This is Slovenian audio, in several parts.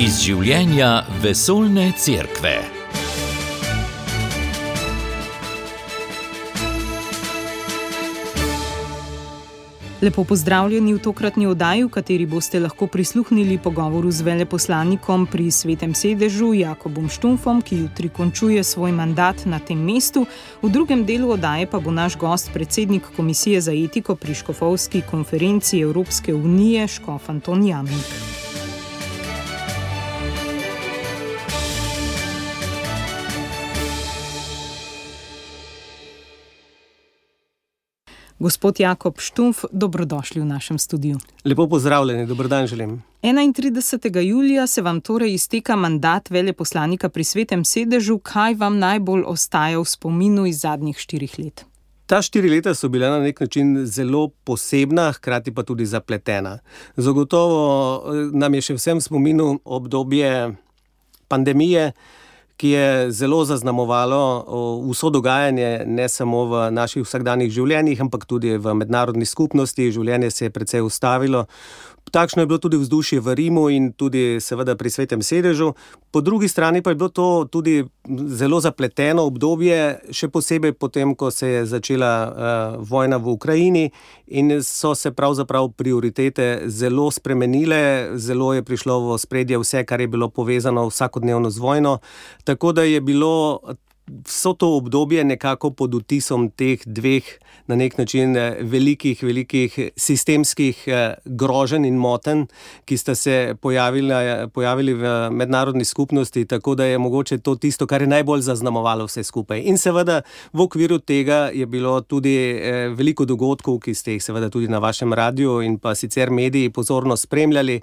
Iz življenja vesoljne cerkve. Lepo pozdravljeni v tokratni oddaji, v kateri boste lahko prisluhnili pogovoru z veleposlanikom pri Svetem sedežu Jakobom Štumpfom, ki jutri končuje svoj mandat na tem mestu. V drugem delu oddaje pa bo naš gost predsednik Komisije za etiko pri Škofovski konferenci Evropske unije, škof Anton Jamnik. Gospod Jakob Štumpf, dobrodošli v našem studiu. Lepo pozdravljeni, dober dan želim. 31. julija se vam torej izteka mandat veleposlanika pri Svetem sedežu. Kaj vam najbolj ostaja v spominu iz zadnjih 4 let? Ta 4 leta so bila na nek način zelo posebna, hkrati pa tudi zapletena. Zagotovo nam je še vsem v spominu obdobje pandemije, ki je zelo zaznamovalo vso dogajanje, ne samo v naših vsakdanjih življenjih, ampak tudi v mednarodni skupnosti. Življenje se je precej ustavilo. Takšno je bilo tudi vzdušje v Rimu in tudi seveda pri Svetem sedežu. Po drugi strani pa je bilo to tudi zelo zapleteno obdobje, še posebej potem, ko se je začela vojna v Ukrajini in so se pravzaprav prioritete zelo spremenile, zelo je prišlo v ospredje vse, kar je bilo povezano vsakodnevno z vojno, tako da je bilo vso to obdobje nekako pod vtisom teh dveh na nek način velikih sistemskih groženj in motenj, ki sta se pojavili v mednarodni skupnosti, tako da je mogoče to tisto, kar je najbolj zaznamovalo vse skupaj. In seveda v okviru tega je bilo tudi veliko dogodkov, ki ste jih seveda tudi na vašem radiju in pa sicer mediji pozorno spremljali,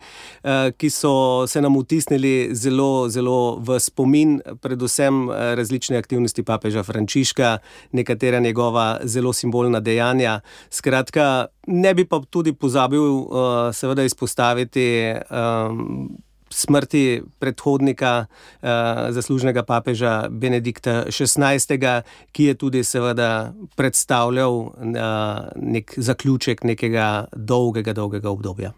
ki so se nam vtisnili zelo v spomin, predvsem različne aktivnosti papeža Frančiška, nekatera njegova zelo simbolna dejanja. Skratka, ne bi pa tudi pozabil seveda izpostaviti smrti predhodnika zaslužnega papeža Benedikta XVI., ki je tudi seveda predstavljal nek zaključek nekega dolgega obdobja.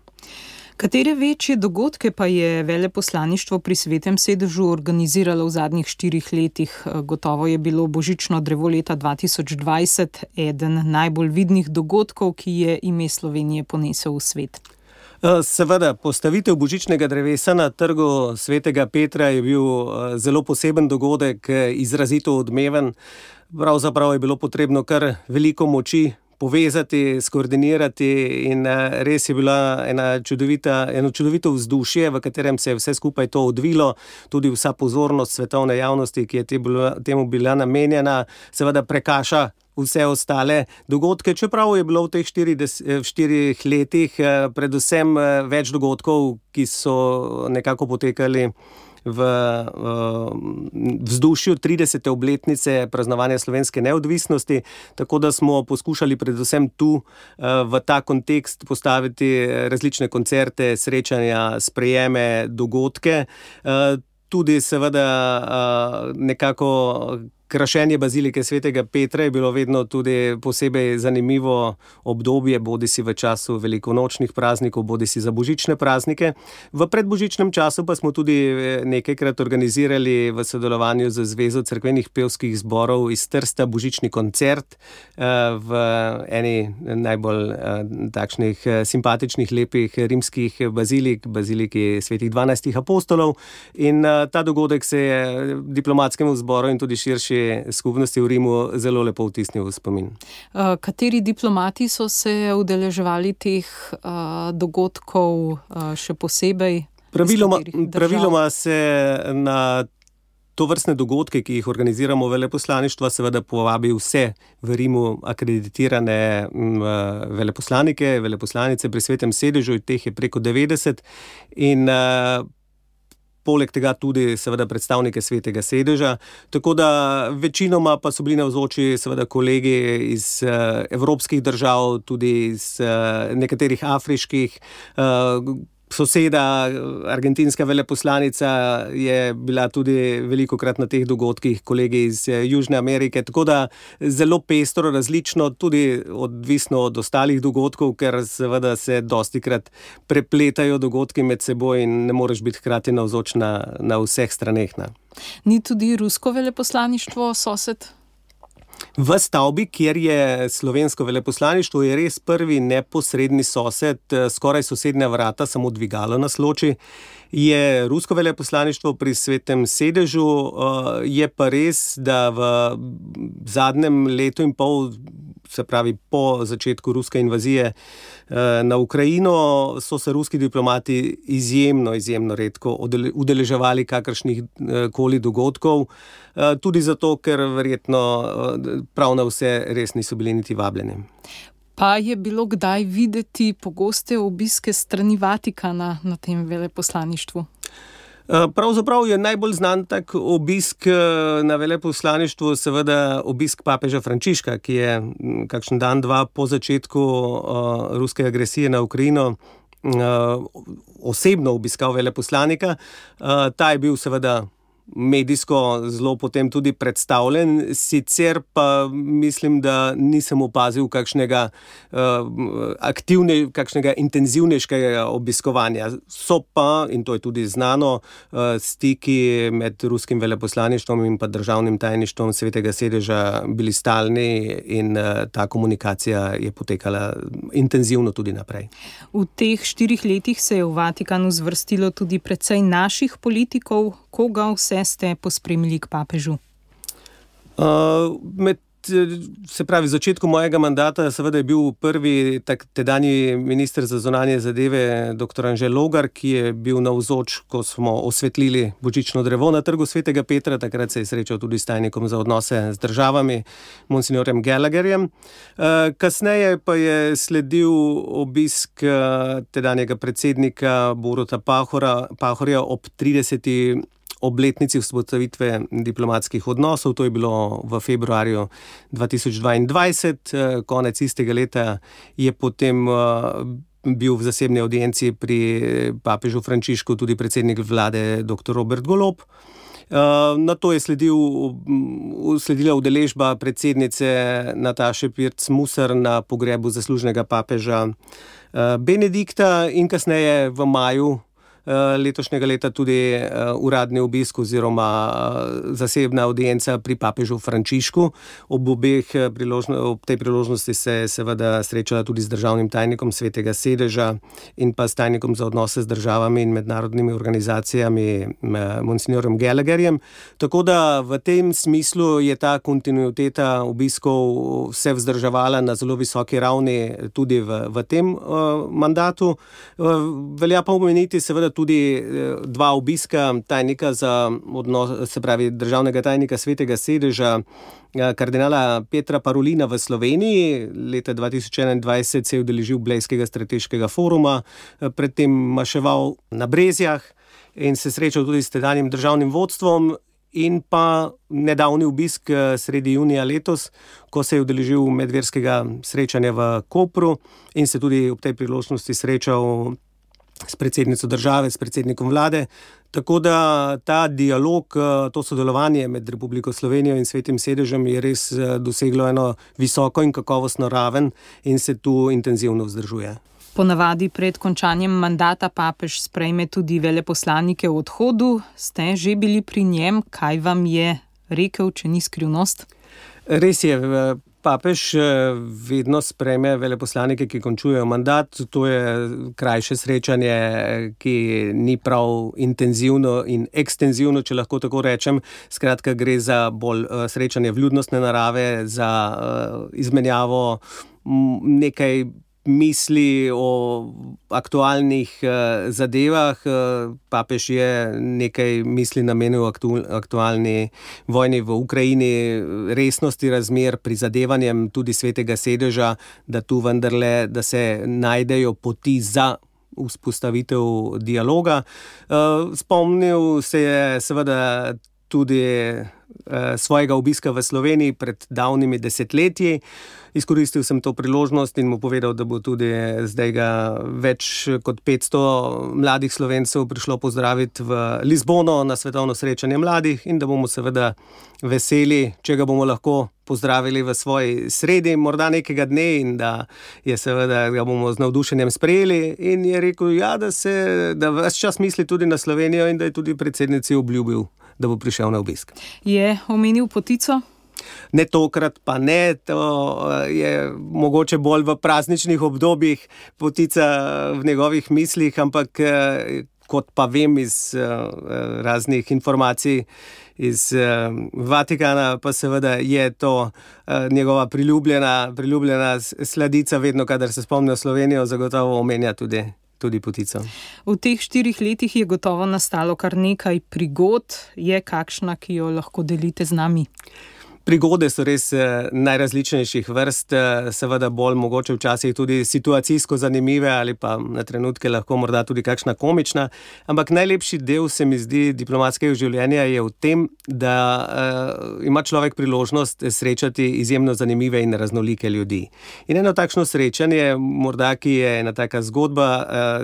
Katere večje dogodke pa je veleposlaništvo pri Svetem sedežu organiziralo v zadnjih 4 letih? Gotovo je bilo božično drevo leta 2020 eden najbolj vidnih dogodkov, ki je ime Slovenije ponesel v svet. Seveda, postavitev božičnega drevesa na trgu Svetega Petra je bil zelo poseben dogodek, izrazito odmeven. Pravzaprav je bilo potrebno kar veliko moči povezati, skoordinirati in res je bila eno čudovito vzdušje, v katerem se je vse skupaj to odvilo, tudi vsa pozornost svetovne javnosti, ki je temu bila namenjena, seveda prekaša vse ostale dogodke, čeprav je bilo v teh 4 letih predvsem več dogodkov, ki so nekako potekali v vzdušju 30. obletnice praznovanja slovenske neodvisnosti, tako da smo poskušali predvsem tu v ta kontekst postaviti različne koncerte, srečanja, sprejeme, dogodke. Tudi seveda nekako krašenje bazilike Svetega Petra je bilo vedno tudi posebej zanimivo obdobje, bodisi v času velikonočnih praznikov, bodisi za božične praznike. V predbožičnem času pa smo tudi nekajkrat organizirali v sodelovanju z Zvezo cerkvenih pevskih zborov iz Trsta božični koncert v eni najbolj takšnih simpatičnih, lepih rimskih baziliki svetih 12 apostolov. In ta dogodek se je diplomatskemu zboru in tudi širši skupnosti v Rimu zelo lepo vtisnil v spomin. Kateri diplomati so se udeleževali teh dogodkov še posebej? Praviloma se na tovrstne dogodke, ki jih organiziramo veleposlaništva, seveda povabi vse v Rimu akreditirane veleposlanike, veleposlanice pri Svetem sedežu, teh je preko 90 in poleg tega tudi seveda predstavnike Svetega sedeža, tako da večinoma pa so bili navzoči seveda kolegi iz evropskih držav, tudi iz nekaterih afriških, Soseda, argentinska veleposlanica, je bila tudi velikokrat na teh dogodkih, kolegi iz Južne Amerike, tako da zelo pestro, različno, tudi odvisno od ostalih dogodkov, ker seveda se dostikrat prepletajo dogodki med seboj in ne moreš biti hkrati navzoč na vseh straneh. Ni tudi rusko veleposlaništvo sosed? V stavbi, kjer je slovensko veleposlaništvo, je res prvi neposredni sosed, skoraj sosednja vrata, samo dvigalo nas loči, je rusko veleposlaništvo pri Svetem sedežu. Je pa res, da v zadnjem letu in pol, se pravi po začetku ruske invazije na Ukrajino, so se ruski diplomati izjemno redko udeleževali kakršnih koli dogodkov, tudi zato, ker verjetno prav na vse res niso bili niti vabljeni. Pa je bilo kdaj videti pogoste obiske strani Vatikana na tem veleposlaništvu? Pravzaprav je najbolj znan tak obisk na veleposlaništvu seveda obisk papeža Frančiška, ki je kakšen dan, dva po začetku ruske agresije na Ukrajino osebno obiskal veleposlanika. Ta je bil seveda medijsko zelo potem tudi predstavljen, sicer pa mislim, da nisem opazil kakšnega intenzivnejšega obiskovanja. So pa, in to je tudi znano, stiki med ruskim veleposlaništvom in pa državnim tajništvom Svetega sedeža bili stalni in ta komunikacija je potekala intenzivno tudi naprej. V teh 4 letih se je v Vatikanu zvrstilo tudi precej naših politikov. Koga vse ste pospremili k papežu? Med začetku mojega mandata seveda je bil prvi tedanji minister za zunanje zadeve dr. Anže Logar, ki je bil navzoč, ko smo osvetlili božično drevo na Trgu svetega Petra. Takrat se je srečal tudi s tajnikom za odnose z državami, monsinjorjem Gallagherjem. Kasneje pa je sledil obisk tedanjega predsednika Boruta Pahorja ob 30. obletnici vzpostavitve diplomatskih odnosov. To je bilo v februarju 2022. Konec istega leta je potem bil v zasebni audienci pri papežu Frančišku tudi predsednik vlade dr. Robert Golob. Na to je sledila udeležba predsednice Nataše Pirc Musar na pogrebu zaslužnega papeža Benedikta in kasneje v maju letošnjega leta tudi uradni obisk oziroma zasebna audienca pri papežu Frančišku. Ob tej priložnosti se je seveda srečala tudi z državnim tajnikom Svetega sedeža in pa s tajnikom za odnose z državami in mednarodnimi organizacijami monsinjorjem Gallagherjem. Tako da v tem smislu je ta kontinuiteta obiskov vse vzdrževala na zelo visoki ravni tudi v tem mandatu. Velja pa omeniti seveda tudi 2 obiska tajnika za odnos, se pravi državnega tajnika Svetega sedeža, kardinala Petra Parolina v Sloveniji. Leta 2021 se je udeležil Blejskega strateškega foruma, predtem maševal na Brezjah in se srečal tudi s tedanjim državnim vodstvom. In pa nedavni obisk sredi junija letos, ko se je udeležil medverskega srečanja v Kopru in se tudi ob tej priložnosti srečal s predsednico države, s predsednikom vlade. Tako da ta dialog, to sodelovanje med Republiko Slovenijo in Svetim sedežem je res doseglo eno visoko in kakovostno raven in se tu intenzivno vzdržuje. Ponavadi pred končanjem mandata papež sprejme tudi veleposlanike v odhodu. Ste že bili pri njem? Kaj vam je rekel, če ni skrivnost? Res je, papež vedno sprejme veleposlanike, ki končujejo mandat. To je krajše srečanje, ki ni prav intenzivno in ekstenzivno, če lahko tako rečem. Skratka, gre za bolj srečanje vljudnostne narave, za izmenjavo nekaj misli o aktualnih zadevah. Papež je nekaj misli namenil aktualni vojni v Ukrajini, resnosti razmer, prizadevanjem tudi Svetega sedeža, da tu vendarle, da se najdejo poti za vzpostavitev dialoga. Spomnil se je seveda tudi svojega obiska v Sloveniji pred davnimi desetletji Izkoristil sem to priložnost in mu povedal, da bo tudi zdaj ga več kot 500 mladih Slovencev prišlo pozdraviti v Lizbono na svetovno srečanje mladih in da bomo seveda veseli, če ga bomo lahko pozdravili v svoji sredi, morda nekega dne in da ga bomo z navdušenjem sprejeli. In je rekel, da ves čas misli tudi na Slovenijo in da je tudi predsednici obljubil, da bo prišel na obisk. Je omenil potico? Ne tokrat, pa ne, to je mogoče bolj v prazničnih obdobjih potica v njegovih mislih, ampak kot pa vem iz raznih informacij iz Vatikana, pa seveda je to njegova priljubljena sladica, vedno, kadar se spomni Slovenijo, zagotovo omenja tudi potico. V teh 4 letih je gotovo nastalo kar nekaj prigod. Je kakšna, ki jo lahko delite z nami? Prigode so res najrazličnejših vrst, seveda bolj mogoče včasih tudi situacijsko zanimive ali pa na trenutke lahko morda tudi kakšna komična, ampak najlepši del se mi zdi diplomatskega življenja je v tem, da ima človek priložnost srečati izjemno zanimive in raznolike ljudi. In eno takšno srečanje, morda ki je ena taka zgodba,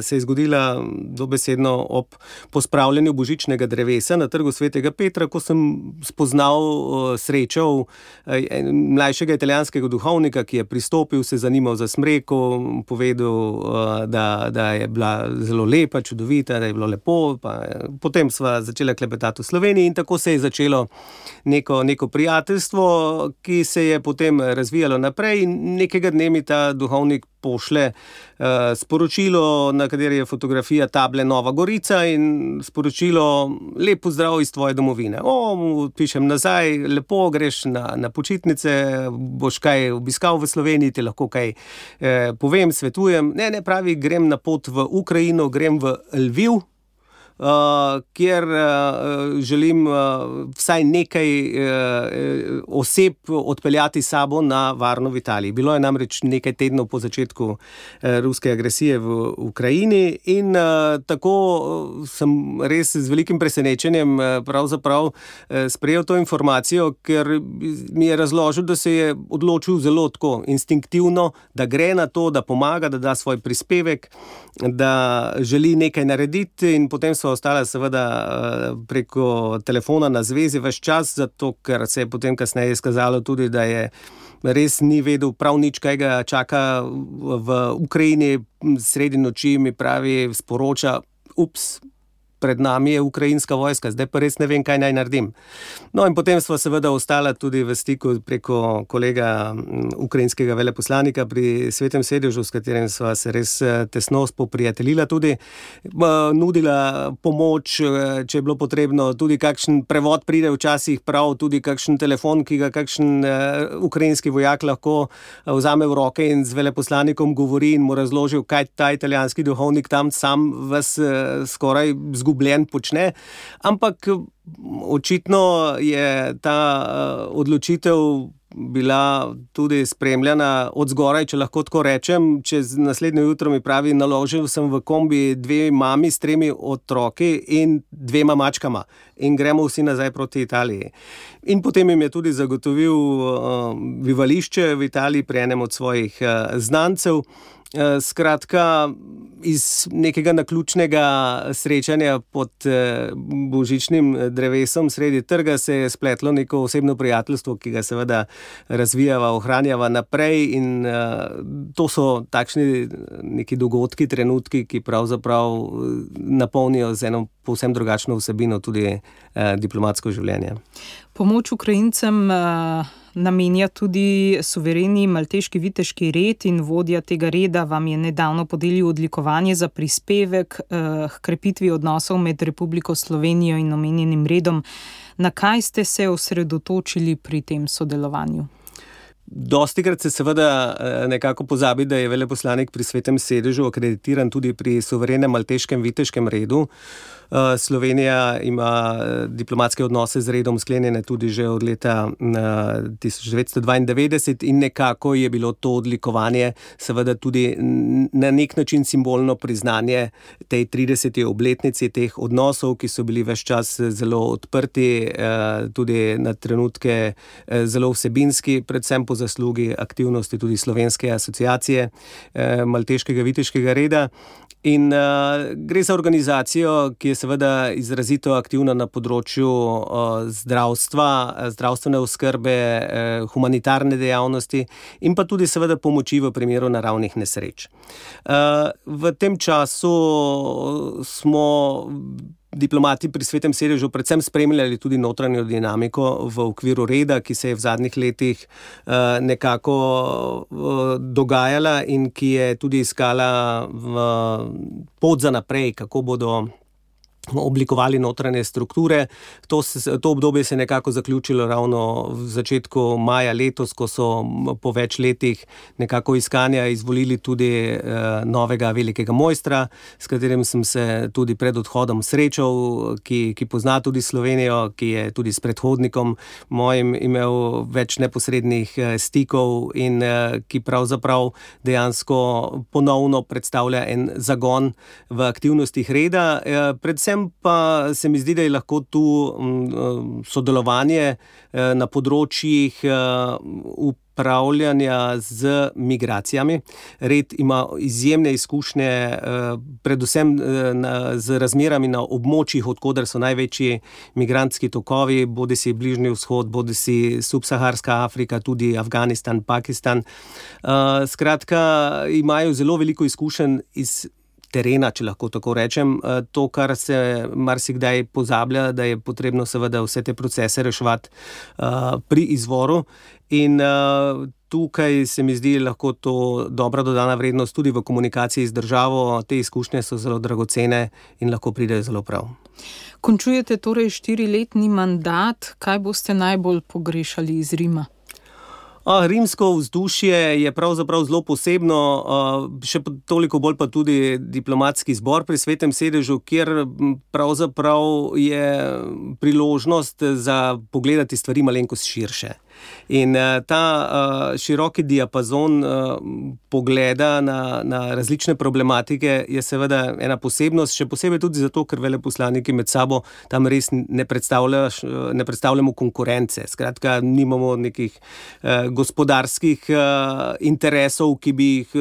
se je zgodila dobesedno ob pospravljanju božičnega drevesa na Trgu Svetega Petra, ko sem srečal mlajšega italijanskega duhovnika, ki je pristopil, se zanimal za smreko, povedal, da je bila zelo lepa, čudovita, da je bilo lepo, pa potem sva začela klepetati v Sloveniji in tako se je začelo neko prijateljstvo, ki se je potem razvijalo naprej in nekega dne mi ta duhovnik pošle sporočilo, na kateri je fotografija table Nova Gorica in sporočilo lep pozdrav iz tvoje domovine. Pišem nazaj, lepo, greš na počitnice, boš kaj obiskal v Sloveniji, ti lahko kaj povem, svetujem. Ne, pravi, grem na pot v Ukrajino, grem v Lviv, kjer želim vsaj nekaj oseb odpeljati s sabo na varno v Italiji. Bilo je namreč nekaj tednov po začetku ruske agresije v Ukrajini in tako sem res z velikim presenečenjem pravzaprav sprejel to informacijo, ker mi je razložil, da se je odločil zelo tako instinktivno, da gre na to, da pomaga, da da svoj prispevek, da želi nekaj narediti in potem so ostala seveda preko telefona na zvezi ves čas, zato ker se je potem kasneje izkazalo tudi, da je res ni vedel prav nič, kaj ga čaka v Ukrajini. Sredi noči mi pravi, sporoča, pred nami je ukrajinska vojska, zdaj pa res ne vem, kaj naj naredim. No in potem sva seveda ostala tudi v stiku preko kolega ukrajinskega veleposlanika pri Svetem sedežu, s katerim sva se res tesno spoprijateljila tudi, nudila pomoč, če je bilo potrebno, tudi kakšen prevod pride včasih prav, tudi kakšen telefon, ki ga kakšen ukrajinski vojak lahko vzame v roke in z veleposlanikom govori in mu razložil, kaj ta italijanski duhovnik tam sam vas skoraj zgubljen počne, ampak očitno je ta odločitev bila tudi spremljena od zgoraj, če lahko tako rečem. Čez naslednje jutro mi pravi, naložil sem v kombi 2 mami s 3 otroki in 2 mačkama in gremo vsi nazaj proti Italiji. In potem jim je tudi zagotovil bivališče v Italiji pri enem od svojih znancev. Skratka, iz nekega naključnega srečanja pod božičnim drevesom sredi trga se je spletlo neko osebno prijateljstvo, ki ga seveda razvijava, ohranjava naprej in to so takšni neki dogodki, trenutki, ki pravzaprav napolnijo z eno povsem drugačno vsebino tudi diplomatsko življenje. Pomoč Ukrajincem namenja tudi suvereni malteški viteški red in vodja tega reda vam je nedavno podelil odlikovanje za prispevek k krepitvi odnosov med Republiko Slovenijo in omenjenim redom. Na kaj ste se osredotočili pri tem sodelovanju? Dostikrat se seveda nekako pozabi, da je veleposlanik pri Svetem sedežu akreditiran tudi pri suverenem malteškem viteškem redu. Slovenija ima diplomatske odnose z redom sklenjene tudi že od leta 1992 in nekako je bilo to odlikovanje seveda tudi na nek način simbolno priznanje tej 30. obletnici teh odnosov, ki so bili ves čas zelo odprti, tudi na trenutke zelo vsebinski, predvsem po zaslugi aktivnosti tudi Slovenske asociacije Malteškega viteškega reda. In gre za organizacijo, ki je seveda izrazito aktivna na področju zdravstva, zdravstvene oskrbe, humanitarne dejavnosti in pa tudi seveda pomoči v primeru naravnih nesreč. V tem času smo diplomati pri Svetem sedežu predvsem spremljali tudi notranjo dinamiko v okviru reda, ki se je v zadnjih letih nekako dogajala in ki je tudi iskala pot za naprej, kako bodo oblikovali notranje strukture. To obdobje se je nekako zaključilo ravno v začetku maja letos, ko so po več letih nekako iskanja izvolili tudi novega velikega mojstra, s katerim sem se tudi pred odhodom srečal, ki pozna tudi Slovenijo, ki je tudi s predhodnikom mojim imel več neposrednih stikov in ki pravzaprav dejansko ponovno predstavlja en zagon v aktivnostih reda. Predvsem pa se mi zdi, da je lahko tu sodelovanje na področjih upravljanja z migracijami. Red ima izjemne izkušnje, predvsem z razmerami na območjih, odkoder so največji migrantski tokovi, bodisi Bližnji vzhod, bodisi subsaharska Afrika, tudi Afganistan, Pakistan. Skratka, imajo zelo veliko izkušenj iz terena, če lahko tako rečem. To, kar se marsikdaj pozablja, da je potrebno seveda vse te procese reševati pri izvoru. In tukaj se mi zdi lahko to dobra dodana vrednost tudi v komunikaciji z državo. Te izkušnje so zelo dragocene in lahko pridejo zelo prav. Končujete torej 4-letni mandat. Kaj boste najbolj pogrešali iz Rima? Rimsko vzdušje je pravzaprav zelo posebno, še toliko bolj pa tudi diplomatski zbor pri Svetem sedežu, kjer pravzaprav je priložnost za pogledati stvari malenkost širše. In ta široki diapazon pogleda na različne problematike je seveda ena posebnost, še posebej tudi zato, ker veleposlaniki med sabo tam res ne predstavljamo konkurence. Skratka, nimamo nekih gospodarskih interesov, ki bi jih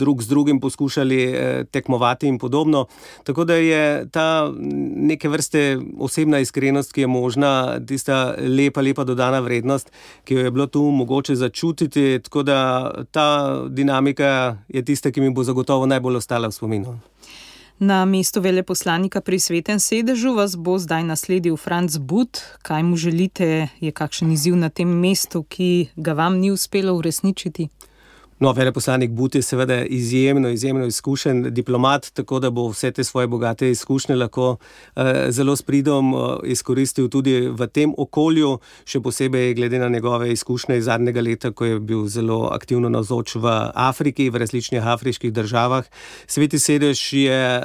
drug z drugim poskušali tekmovati in podobno. Tako da je ta neke vrste osebna iskrenost, ki je možna, tista lepa dodana vrednost, ki jo je bilo tu mogoče začutiti, tako da ta dinamika je tista, ki mi bo zagotovo najbolj ostala v spominu. Na mestu veleposlanika pri Svetem sedežu vas bo zdaj nasledil Franc But. Kaj mu želite? Je kakšen izziv na tem mestu, ki ga vam ni uspelo uresničiti? No, veleposlanik But je seveda izjemno izkušen diplomat, tako da bo vse te svoje bogate izkušnje lahko zelo s pridom izkoristil tudi v tem okolju, še posebej glede na njegove izkušnje iz zadnjega leta, ko je bil zelo aktivno navzoč v Afriki, v različnih afriških državah. Sveti sedež je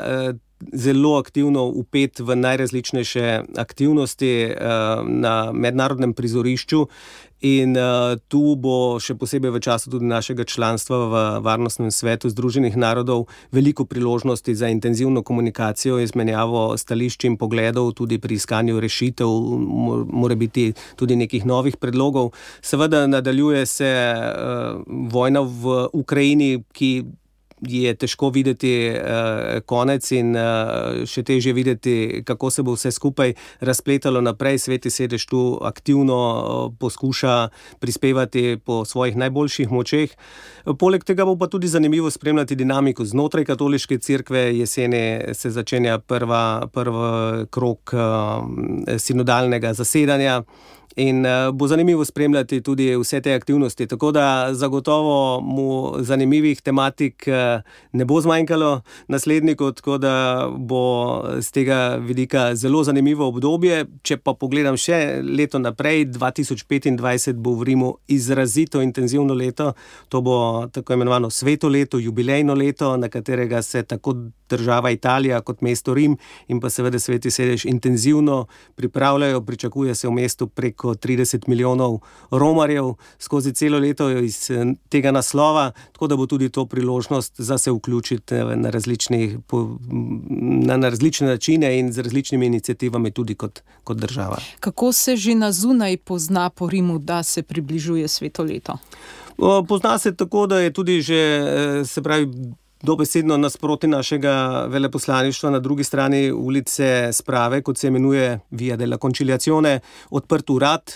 zelo aktivno vpet v najrazličnejše aktivnosti na mednarodnem prizorišču. In tu bo še posebej v času tudi našega članstva v Varnostnem svetu Združenih narodov veliko priložnosti za intenzivno komunikacijo, izmenjavo stališč in pogledov, tudi pri iskanju rešitev, mora biti tudi nekih novih predlogov. Seveda nadaljuje se vojna v Ukrajini, ki je težko videti konec in še težje videti, kako se bo vse skupaj razpletalo naprej. Sveti sedež tu aktivno poskuša prispevati po svojih najboljših močeh. Poleg tega bo pa tudi zanimivo spremljati dinamiko znotraj katoliške cerkve. Jeseni se začenja prvi krog sinodalnega zasedanja. In bo zanimivo spremljati tudi vse te aktivnosti, tako da zagotovo mu zanimivih tematik ne bo zmanjkalo nasledniku, tako da bo z tega vidika zelo zanimivo obdobje. Če pa pogledam še leto naprej, 2025 bo v Rimu izrazito intenzivno leto, to bo tako imenovano sveto leto, jubilejno leto, na katerega se tako država Italija kot mesto Rim in pa seveda Sveti sedež intenzivno pripravljajo. Pričakuje se v mestu preko 30 milijonov romarjev skozi celo leto iz tega naslova, tako da bo tudi to priložnost možnost za se vključiti na različne načine in z različnimi iniciativami tudi kot država. Kako se že na zunaj pozna po Rimu, da se približuje sveto leto? Pozna se tako, da je tudi že, se pravi, dobesedno nasproti našega veleposlaništva na drugi strani ulice Sprave, kot se imenuje Via della Conciliazione, odprt urad,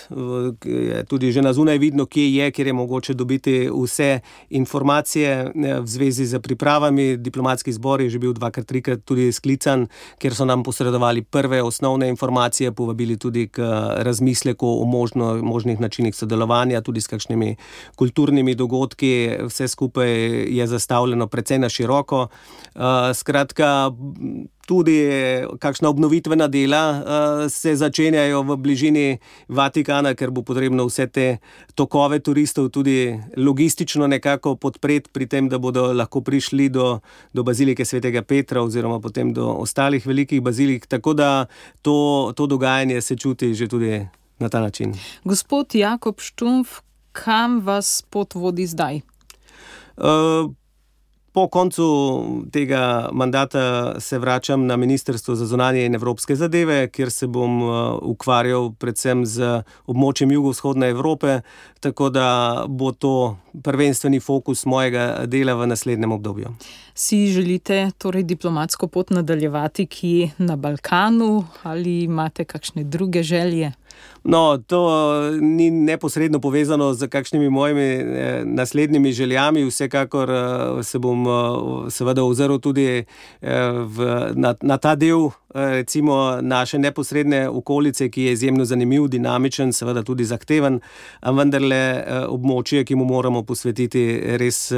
je tudi že na zunaj vidno, kjer je mogoče dobiti vse informacije v zvezi z pripravami. Diplomatski zbor je že bil 2-3 tudi sklican, kjer so nam posredovali prve osnovne informacije, povabili tudi k razmisleku o možnih načinih sodelovanja, tudi s kakšnimi kulturnimi dogodki. Vse skupaj je zastavljeno precej na široko. Skratka, tudi kakšna obnovitvena dela se začenjajo v bližini Vatikana, ker bo potrebno vse te tokove turistov tudi logistično nekako podpreti pri tem, da bodo lahko prišli do bazilike svetega Petra oziroma potem do ostalih velikih bazilik. Tako da to dogajanje se čuti že tudi na ta način. Gospod Jakob Štumpf, kam vas pot vodi zdaj? Po koncu tega mandata se vračam na Ministrstvo za zunanje in evropske zadeve, kjer se bom ukvarjal predvsem z območjem jugovzhodne Evrope, tako da bo to prvenstveni fokus mojega dela v naslednjem obdobju. Si želite torej diplomatsko pot nadaljevati kje na Balkanu ali imate kakšne druge želje? No, to ni neposredno povezano z kakšnimi mojimi naslednjimi željami. Vsekakor se bom seveda ozrl tudi na ta del, recimo naše neposredne okolice, ki je izjemno zanimiv, dinamičen, seveda tudi zahteven, a vendarle območje, ki mu moramo posvetiti res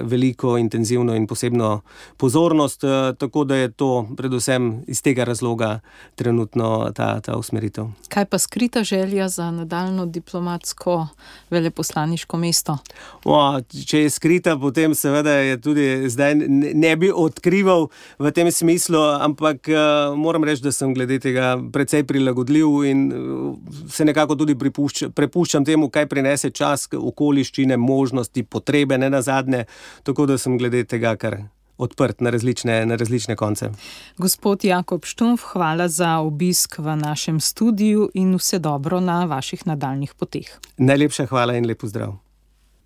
veliko, intenzivno in posebno pozornost, tako da je to predvsem iz tega razloga trenutno ta usmeritev. Kaj pa skrita želja za nadaljnjo diplomatsko veleposlaniško mesto? Če je skrita, potem seveda je tudi zdaj ne bi odkrival v tem smislu, ampak moram reči, da sem glede tega precej prilagodljiv in se nekako tudi prepuščam temu, kaj prinese čas, okoliščine, možnosti, potrebe, ne nazadnje, tako da sem glede tega kar odprt na različne konce. Gospod Jakob Štumpf, hvala za obisk v našem studiu in vse dobro na vaših nadaljnjih poteh. Najlepša hvala in lep pozdrav.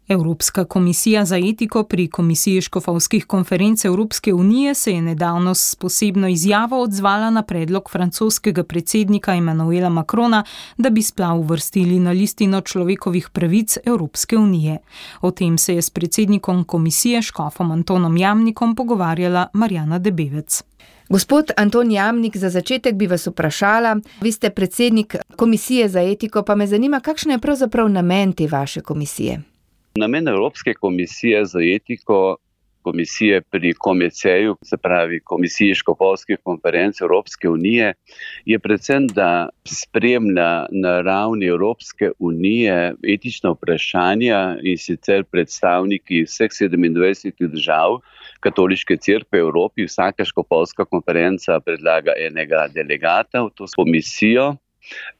Evropska komisija za etiko pri Komisiji škofovskih konferenc Evropske unije se je nedavno s posebno izjavo odzvala na predlog francoskega predsednika Emmanuela Macrona, da bi splav uvrstili na listino človekovih pravic Evropske unije. O tem se je s predsednikom komisije škofom Antonom Jamnikom pogovarjala Marjana Debevec. Gospod Anton Jamnik, za začetek bi vas vprašala, vi ste predsednik Komisije za etiko, pa me zanima, kakšen je pravzaprav namen te vaše komisije? Namen Evropske komisije za etiko, komisije pri KOMECEju, se pravi Komisiji škofovskih konferenc Evropske unije, je predvsem, da spremlja na ravni Evropske unije etična vprašanja in sicer predstavniki vseh 27 držav Katoliške cerkve v Evropi. Vsaka škofovska konferenca predlaga enega delegata v to komisijo.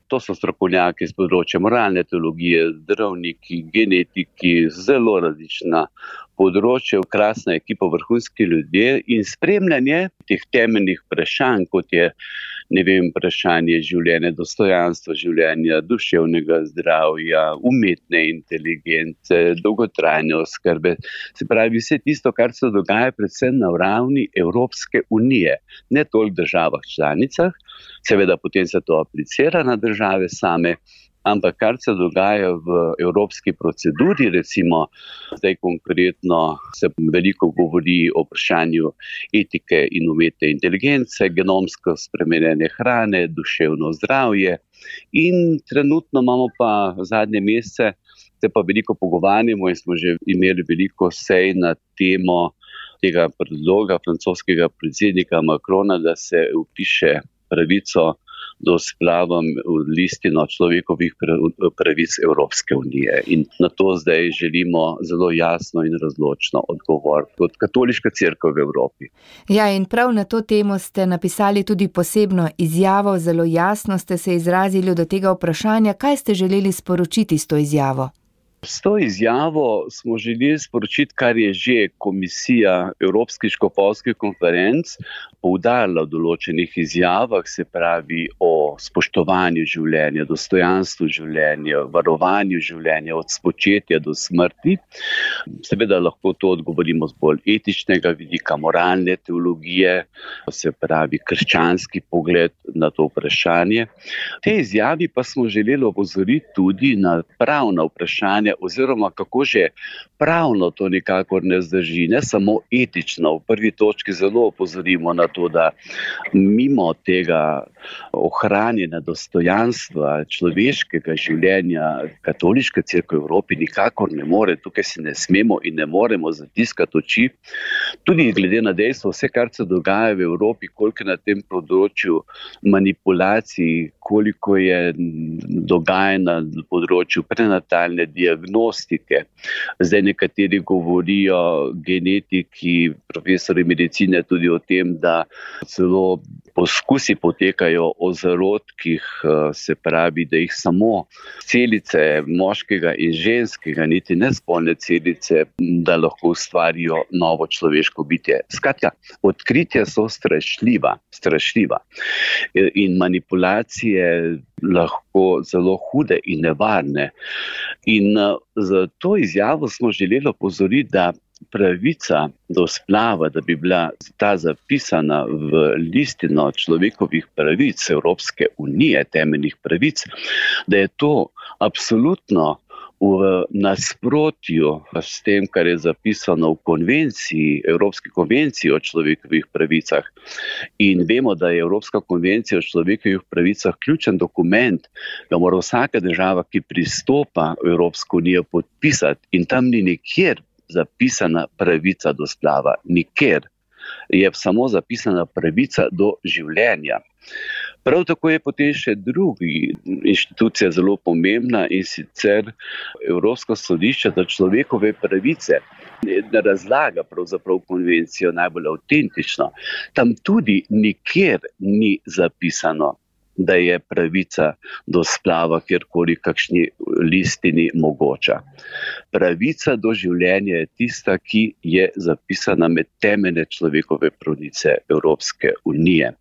To so strokovnjaki z področja moralne teologije, zdravniki, genetiki, zelo različna področja, krasna ekipa, vrhunski ljudje in spremljanje teh temeljnih vprašanj, kot je, vprašanje življenja, dostojanstva življenja, duševnega zdravja, umetne inteligence, dolgotrajne oskrbe. Se pravi, vse tisto, kar se dogaja predvsem na ravni Evropske unije, ne toliko državah članicah, seveda potem se to aplicira na države same, ampak kar se dogaja v evropski proceduri, recimo zdaj konkretno se veliko govori o vprašanju etike in umetne inteligence, genomsko spremenjene hrane, duševno zdravje in trenutno imamo pa zadnje mesece, se pa veliko pogovarjamo in smo že imeli veliko sej na temo tega predloga francoskega predsednika Macrona, da se vpiše pravico do splava v listino človekovih pravic Evropske unije. In na to zdaj želimo zelo jasno in razločno odgovor kot Katoliška cerkev v Evropi. Ja, in prav na to temo ste napisali tudi posebno izjavo, zelo jasno ste se izrazili do tega vprašanja. Kaj ste želeli sporočiti s to izjavo? S to izjavo smo želeli sporočiti, kar je že Komisija Evropskih škofovskih konferenc poudarila v določenih izjavah, se pravi o spoštovanju življenja, dostojanstvu življenja, varovanju življenja od spočetja do smrti. Seveda lahko to odgovorimo z bolj etičnega vidika, moralne teologije, se pravi krščanski pogled na to vprašanje. Te izjavi pa smo želeli opozoriti tudi na pravna vprašanja, oziroma kako že pravno to nikakor ne zdrži, ne samo etično. V prvi točki zelo opozorimo na to, da mimo tega ohranjena dostojanstva človeškega življenja katoliška cerkev v Evropi nikakor ne more, tukaj se ne smemo in ne moremo zatiskati oči. Tudi glede na dejstvo, vse kar se dogaja v Evropi, koliko je na tem področju manipulacij, koliko je dogajanja na področju prenatalne diagnostike. Zdaj nekateri govorijo, genetiki, profesori medicine tudi o tem, da celo poskusi potekajo o zarodkih, se pravi, da jih samo celice moškega in ženskega, niti nespolne celice, da lahko ustvarijo novo človeško bitje. Skratka, odkritja so strašljiva. In manipulacije lahko zelo hude in nevarne. In za to izjavo smo želeli opozoriti, da pravica do splava, da bi bila ta zapisana v listino človekovih pravic Evropske unije, temeljnih pravic, da je to absolutno v nasprotju s tem, kar je zapisano v konvenciji, Evropski konvenciji o človekovih pravicah. In vemo, da je Evropska konvencija o človekovih pravicah ključen dokument, ga mora vsaka država, ki pristopa v Evropsko unijo, podpisati. In tam ni nikjer zapisana pravica do splava. Nikjer. Je samo zapisana pravica do življenja. Prav tako je potem še druga inštitucija zelo pomembna, in sicer Evropsko sodišče za človekove pravice. Ne razlaga pravzaprav konvencijo najbolj avtentično. Tam tudi nikjer ni zapisano, da je pravica do splava kjerkoli kakšni listini mogoča. Pravica do življenja je tista, ki je zapisana med temeljne človekove pravice Evropske unije.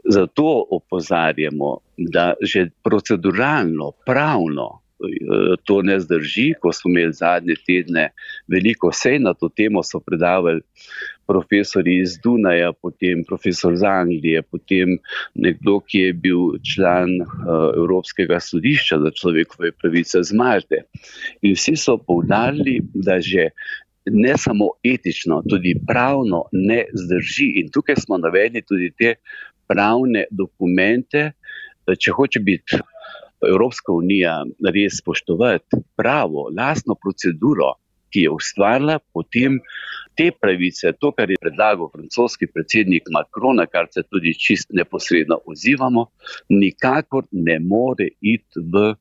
Zato opozarjamo, da že proceduralno, pravno to ne zdrži. Ko smo imeli zadnje tedne veliko sej na to temo, so predavali profesori iz Dunaja, potem profesor iz Anglije, potem nekdo, ki je bil član Evropskega sodišča za človekove pravice z Malte. In vsi so poudarili, da že ne samo etično, tudi pravno ne zdrži. In tukaj smo navedli tudi te pravne dokumente, če hoče biti Evropska unija res spoštovati pravo, lastno proceduro, ki je ustvarila, potem te pravice, to, kar je predlagal francoski predsednik Macron, kar se tudi čist neposredno odzivamo, nikakor ne more iti v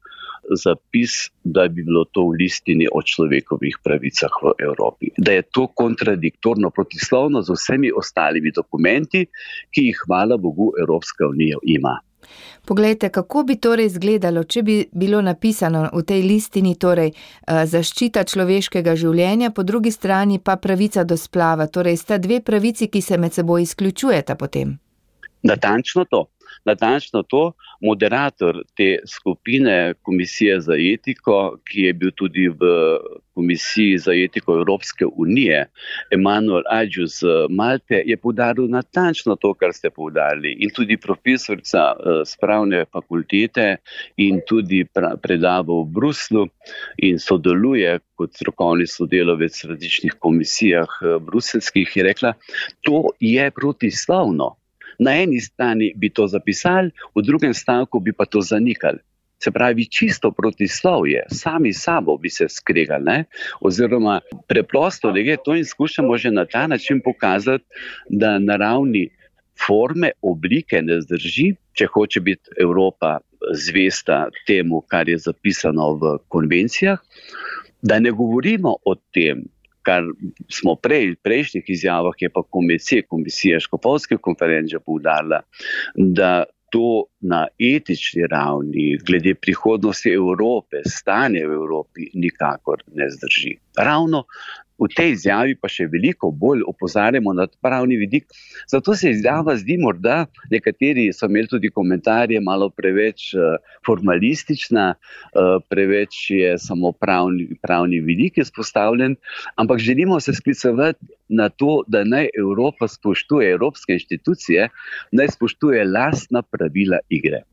zapis, da bi bilo to v listini o človekovih pravicah v Evropi. Da je to kontradiktorno, protislovno z vsemi ostalimi dokumenti, ki jih, hvala Bogu, Evropska unija ima. Poglejte, kako bi torej izgledalo, če bi bilo napisano v tej listini torej zaščita človeškega življenja, po drugi strani pa pravica do splava, torej sta dve pravici, ki se med seboj izključujeta potem. Natančno to. Moderator te skupine Komisije za etiko, ki je bil tudi v Komisiji za etiko Evropske unije, Emanuel Agius z Malte, je poudaril natančno to, kar ste poudarili. In tudi profesorica z pravne fakultete in tudi predava v Bruslu in sodeluje kot strokovni sodelavec v različnih komisijah bruselskih, je rekla, to je protislovno. Na eni strani bi to zapisali, v drugem stavku bi pa to zanikali. Se pravi, čisto protislovje, sami sabo bi se skregali, ne? Oziroma preprosto, to in skušamo že na ta način pokazati, da na ravni forme, oblike ne zdrži, če hoče biti Evropa zvesta temu, kar je zapisano v konvencijah, da ne govorimo o tem, kar smo v prejšnjih izjavah, je pa Komisija škofovske konference poudarila, da to na etični ravni, glede prihodnosti Evrope, stanje v Evropi, nikakor ne zdrži. Ravno v tej izjavi pa še veliko bolj opozarjamo na pravni vidik. Zato se izjava zdi morda, nekateri so imeli tudi komentarje, malo preveč formalistična, preveč je samo pravni vidik izpostavljen, ampak želimo se sklicevati na to, da naj Evropa spoštuje evropske inštitucije, naj spoštuje lastna pravila igre.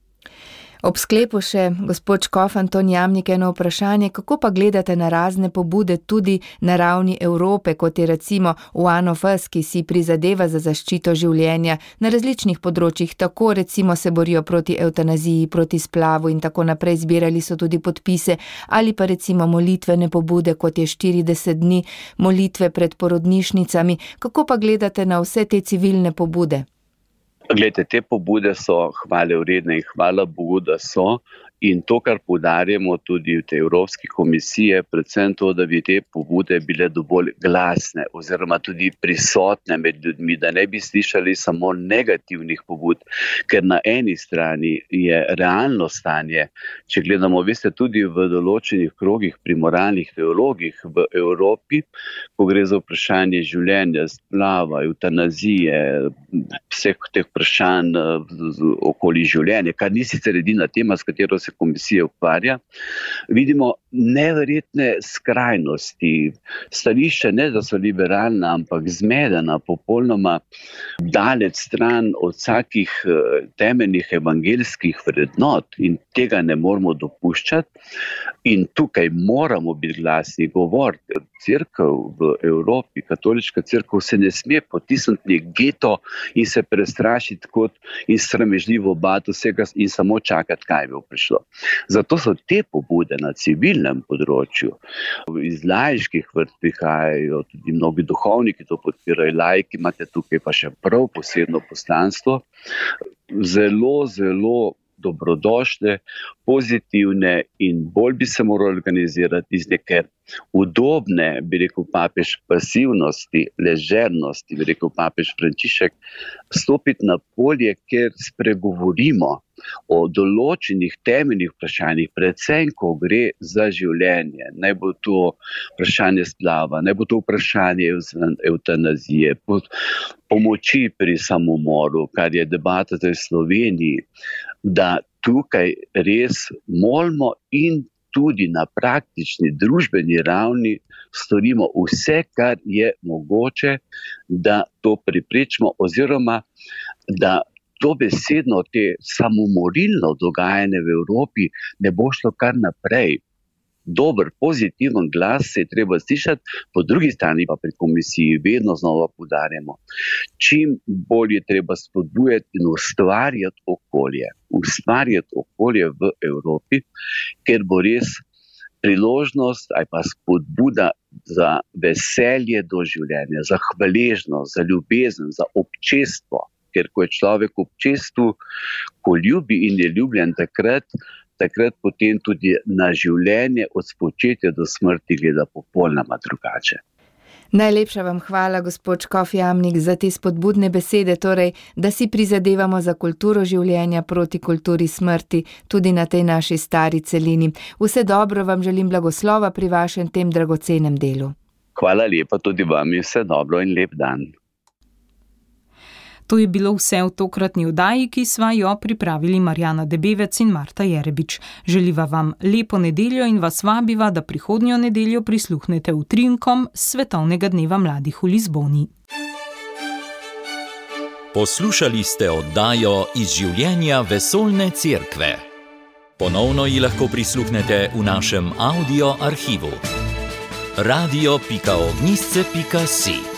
Ob sklepu še gospod škof Anton Jamnik eno vprašanje, kako pa gledate na razne pobude tudi na ravni Evrope, kot je recimo One of Us, ki si prizadeva za zaščito življenja na različnih področjih, tako recimo se borijo proti evtanaziji, proti splavu in tako naprej, zbirali so tudi podpise, ali pa recimo molitvene pobude, kot je 40 dni molitve pred porodnišnicami. Kako pa gledate na vse te civilne pobude? Glejte, te pobude so hvale vredne in hvala Bogu, da so. In to, kar poudarjamo tudi v tej Evropski komisiji, je predvsem to, da bi te pobude bile dovolj glasne oziroma tudi prisotne med ljudmi, da ne bi slišali samo negativnih pobud, ker na eni strani je realno stanje, če gledamo, veste, tudi v določenih krogih pri moralnih teologih v Evropi, ko gre za vprašanje življenja, splava, evtanazije, vseh teh vprašanj okoli življenja, kar ni sicer edina tema, s katero se komisija ukvarja, vidimo neverjetne skrajnosti. Stališče ne, da so liberalna, ampak zmedena, popolnoma daleč stran od vsakih temeljnih evangeljskih vrednot in tega ne moramo dopuščati. In tukaj moramo biti glasni, govoriti. Cerkev v Evropi, katoliška cerkev, se ne sme potisniti geto in se prestrašiti kot in sramežljivo bati vsega in samo čakati, kaj bi prišlo. Zato so te pobude na civilnem področju, iz laiških vrst prihajajo, tudi mnogi duhovniki to podpirajo, laiki imate tukaj pa še prav posebno poslanstvo, zelo, zelo dobrodošle, pozitivne in bolj bi se morali organizirati iz neke udobne, bi rekel papež, pasivnosti, ležernosti, bi rekel papež Frančišek, stopiti na polje, kjer spregovorimo o določenih temeljnih vprašanjih, predvsem, ko gre za življenje. Naj bo to vprašanje splava, naj bo to vprašanje evtanazije, pomoči pri samomoru, kar je debata v Sloveniji, da tukaj res molimo in tudi na praktični družbeni ravni storimo vse, kar je mogoče, da to preprečimo oziroma da dobesedno te samomorilno dogajanje v Evropi ne bo šlo kar naprej. Dober, pozitiven glas se je treba slišati, po drugi strani pa pri komisiji vedno znova poudarjamo, čim bolje treba spodbujati in ustvarjati okolje v Evropi, ker bo res priložnost ali pa spodbuda za veselje do življenja, za hvaležnost, za ljubezen, za občestvo. Ker ko je človek v občestvu, ko ljubi in je ljubljen takrat potem tudi na življenje od spočetja do smrti gleda popolnoma drugače. Najlepša vam hvala, gospod škof Jamnik, za te spodbudne besede, torej, da si prizadevamo za kulturo življenja proti kulturi smrti, tudi na tej naši stari celini. Vse dobro vam želim, blagoslova pri vašem tem dragocenem delu. Hvala lepa tudi vam in vse dobro in lep dan. To je bilo vse v tokratni oddaji, ki sva jo pripravili Marjana Debevec in Marta Jerebič. Želiva vam lepo nedeljo in vas vabiva, da prihodnjo nedeljo prisluhnete utrinkom Svetovnega dneva mladih v Lizboni. Poslušali ste oddajo Iz življenja vesoljne cerkve. Ponovno ji lahko prisluhnete v našem audio arhivu. radio.ognisce.si